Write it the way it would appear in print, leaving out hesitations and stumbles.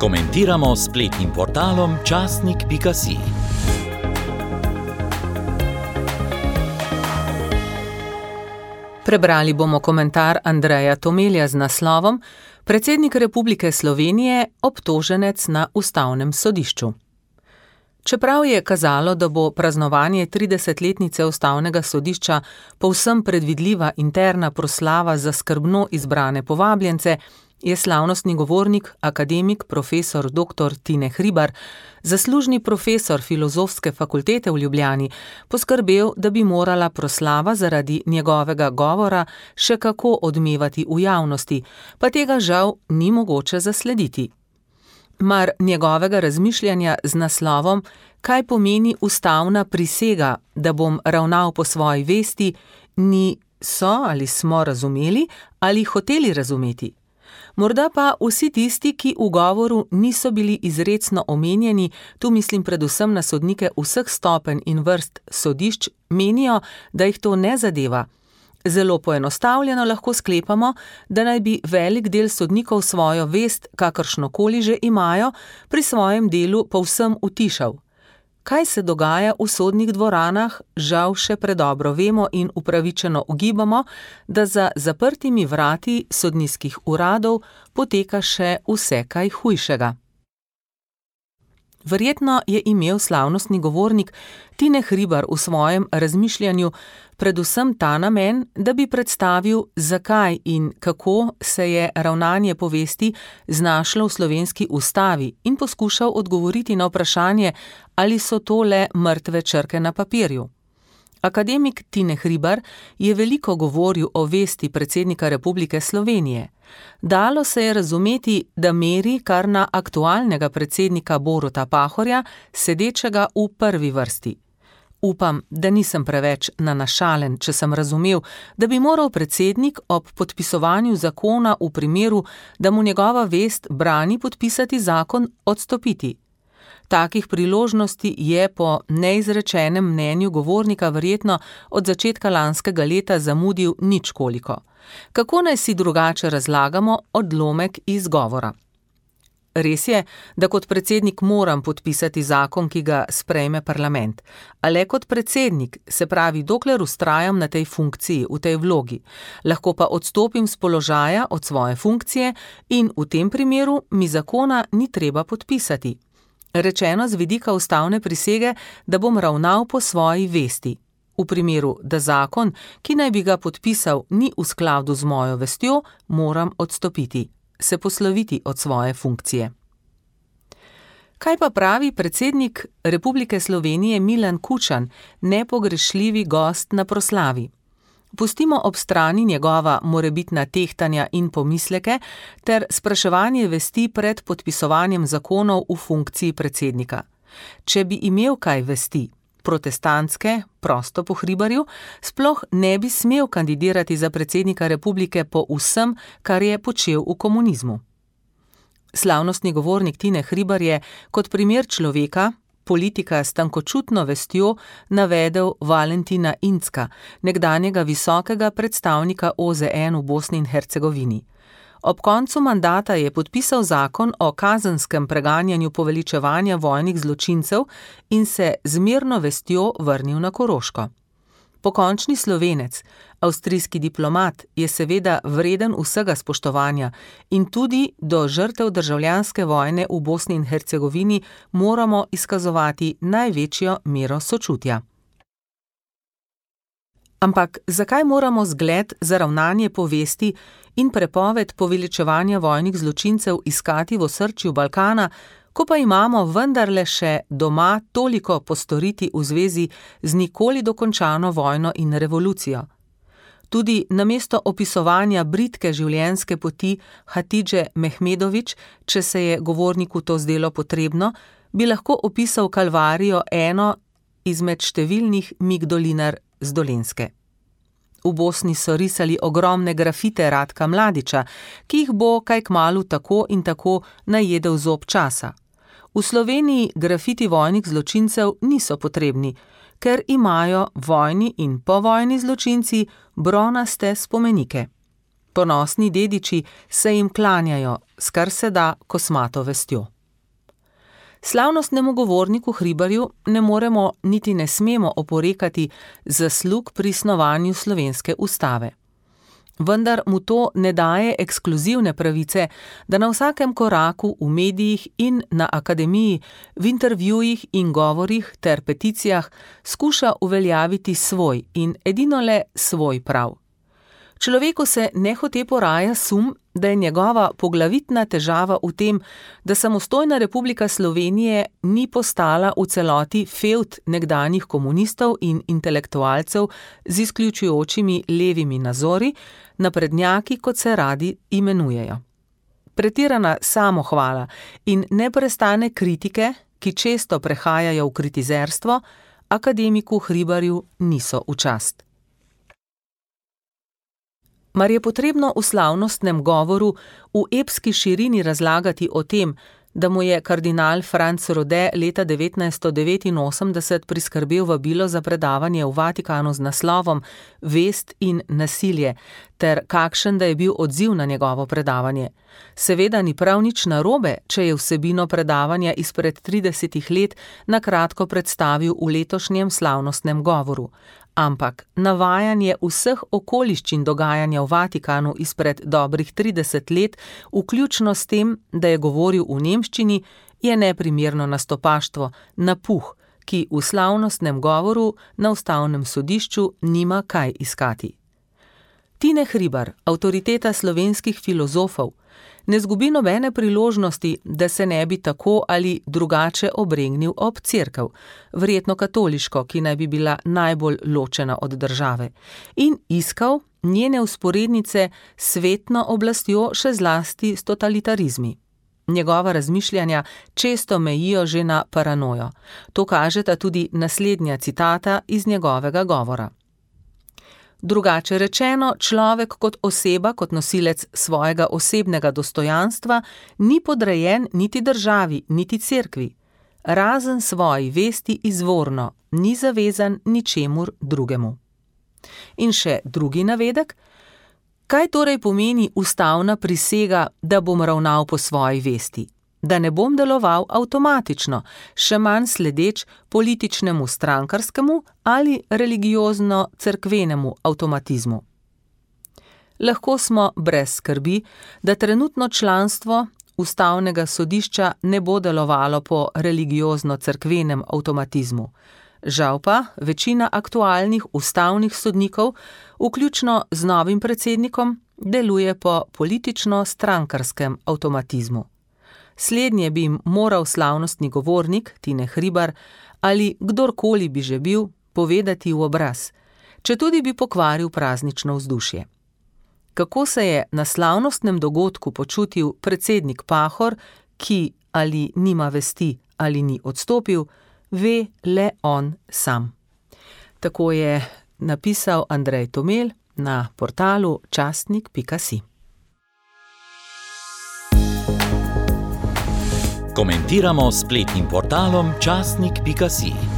Komentiramo s spletnim portalom časnik.si. Prebrali bomo komentar Andreja Tomelja z naslovom Predsednik Republike Slovenije obtoženec na Ustavnem sodišču. Čeprav je kazalo, da bo praznovanje 30-letnice Ustavnega sodišča povsem predvidljiva interna proslava za skrbno izbrane povabljence, je slavnostni govornik, akademik, profesor dr. Tine Hribar, zaslužni profesor Filozofske fakultete v Ljubljani, poskrbel, da bi morala proslava zaradi njegovega govora še kako odmevati v javnosti, pa tega žal ni mogoče zaslediti. Mar njegovega razmišljanja z naslovom Kaj pomeni ustavna prisega, da bom ravnal po svoji vesti, so ali smo razumeli ali hoteli razumeti. Morda pa vsi tisti, ki v govoru niso bili izrecno omenjeni, tu mislim predvsem na sodnike vseh stopenj in vrst sodišč, menijo, da jih to ne zadeva. Zelo poenostavljeno lahko sklepamo, da naj bi velik del sodnikov svojo vest, kakršnokoli že imajo, pri svojem delu povsem utišal. Kaj se dogaja v sodnih dvoranah, žal še predobro vemo in upravičeno ugibamo, da za zaprtimi vrati sodniških uradov poteka še vse kaj hujšega. Verjetno je imel slavnostni govornik Tine Hribar v svojem razmišljanju predvsem ta namen, da bi predstavil, zakaj in kako se je ravnanje po vesti znašlo v slovenski ustavi in poskušal odgovoriti na vprašanje, ali so to le mrtve črke na papirju. Akademik Tine Hribar je veliko govoril o vesti predsednika Republike Slovenije. Dalo se je razumeti, da meri kar na aktualnega predsednika Boruta Pahorja, sedečega v prvi vrsti. Upam, da nisem preveč nanašalen, če sem razumel, da bi moral predsednik ob podpisovanju zakona v primeru, da mu njegova vest brani podpisati zakon, odstopiti. Takih priložnosti je po neizrečenem mnenju govornika verjetno od začetka lanskega leta zamudil ničkoliko. Kako naj si drugače razlagamo odlomek iz govora? Res je, da kot predsednik moram podpisati zakon, ki ga sprejme parlament, a le kot predsednik, se pravi, dokler vztrajam na tej funkciji, v tej vlogi, lahko pa odstopim z položaja od svoje funkcije in v tem primeru mi zakona ni treba podpisati. Rečeno z vidika ustavne prisege, da bom ravnal po svoji vesti. V primeru, da zakon, ki naj bi ga podpisal, ni v skladu z mojo vestjo, moram odstopiti, se posloviti od svoje funkcije. Kaj pa pravi predsednik Republike Slovenije Milan Kučan, nepogrešljivi gost na proslavi? Pustimo ob strani njegova morebitna tehtanja in pomisleke ter spraševanje vesti pred podpisovanjem zakonov v funkciji predsednika. Če bi imel kaj vesti, protestantske, prosto po Hribarju, sploh ne bi smel kandidirati za predsednika republike po vsem, kar je počel v komunizmu. Slavnostni govornik Tine Hribar je kot primer človeka, politika s tankočutno vestjo, navedel Valentina Incka, nekdanjega visokega predstavnika OZN v Bosni in Hercegovini. Ob koncu mandata je podpisal zakon o kazenskem preganjanju poveličevanja vojnih zločincev in se z mirno vestjo vrnil na Koroško. Pokončni Slovenec, avstrijski diplomat, je seveda vreden vsega spoštovanja in tudi do žrtev državljanske vojne v Bosni in Hercegovini moramo izkazovati največjo mero sočutja. Ampak zakaj moramo zgled za ravnanje po vesti in prepoved poveličevanja vojnih zločincev iskati v osrčju Balkana, ko pa imamo vendarle še doma toliko postoriti v zvezi z nikoli dokončano vojno in revolucijo? Tudi namesto opisovanja bridke življenjske poti Hatidže Mehmedović, če se je govorniku to zdelo potrebno, bi lahko opisal kalvarijo eno izmed številnih migdolinar z Dolenjske. V Bosni so risali ogromne grafite Ratka Mladića, ki jih bo kaj kmalu tako in tako najedel zob časa. V Sloveniji grafiti vojnih zločincev niso potrebni, ker imajo vojni in povojni zločinci bronaste spomenike. Ponosni dediči se jim klanjajo, s kar se da kosmato vestjo. Slavnostnemu govorniku Hribarju ne moremo niti ne smemo oporekati zaslug pri snovanju slovenske ustave. Vendar mu to ne daje ekskluzivne pravice, da na vsakem koraku v medijih in na akademiji, v intervjujih in govorih ter peticijah skuša uveljaviti svoj in edino le svoj prav. Človeku se nehote poraja sum, da je njegova poglavitna težava v tem, da samostojna Republika Slovenije ni postala v celoti fevd nekdanjih komunistov in intelektualcev z izključujočimi levimi nazori, naprednjaki, kot se radi imenujejo. Pretirana samohvala in neprestane kritike, ki često prehajajo v kritizerstvo, akademiku Hribarju niso v čast. Mar je potrebno v slavnostnem govoru v epski širini razlagati o tem, da mu je kardinal Franc Rode leta 1989 priskrbel vabilo za predavanje v Vatikanu z naslovom Vest in nasilje, ter kakšen da je bil odziv na njegovo predavanje. Seveda ni prav nič narobe, če je vsebino predavanja izpred 30 let na kratko predstavil v letošnjem slavnostnem govoru. Ampak navajanje vseh okoliščin dogajanja v Vatikanu izpred dobrih 30 let, vključno s tem, da je govoril v nemščini, je neprimerno nastopaštvo, napuh, ki v slavnostnem govoru na ustavnem sodišču nima kaj iskati. Tine Hribar, avtoriteta slovenskih filozofov, ne zgubi nobene priložnosti, da se ne bi tako ali drugače obregnil ob cerkev, verjetno katoliško, ki naj bi bila najbolj ločena od države, in iskal njene vzporednice s svetno oblastjo, še zlasti s totalitarizmi. Njegova razmišljanja često mejijo že na paranojo. To kažeta tudi naslednja citata iz njegovega govora. Drugače rečeno, človek kot oseba, kot nosilec svojega osebnega dostojanstva, ni podrejen niti državi, niti cerkvi. Razen svoji vesti izvorno, ni zavezan ničemur drugemu. In še drugi navedek. Kaj torej pomeni ustavna prisega, da bom ravnal po svoji vesti? Da ne bom deloval avtomatično, še manj sledeč političnemu strankarskemu ali religiozno-cerkvenemu avtomatizmu. Lahko smo brez skrbi, da trenutno članstvo ustavnega sodišča ne bo delovalo po religiozno-cerkvenem avtomatizmu. Žal pa večina aktualnih ustavnih sodnikov, vključno z novim predsednikom, deluje po politično-strankarskem avtomatizmu. Slednje bi jim moral slavnostni govornik Tine Hribar ali kdorkoli bi že bil povedati v obraz, četudi bi pokvaril praznično vzdušje. Kako se je na slavnostnem dogodku počutil predsednik Pahor, ki ali nima vesti ali ni odstopil, ve le on sam. Tako je napisal Andrej Tomelj na portalu časnik.si. Komentiramo s spletnim portalom časnik.si.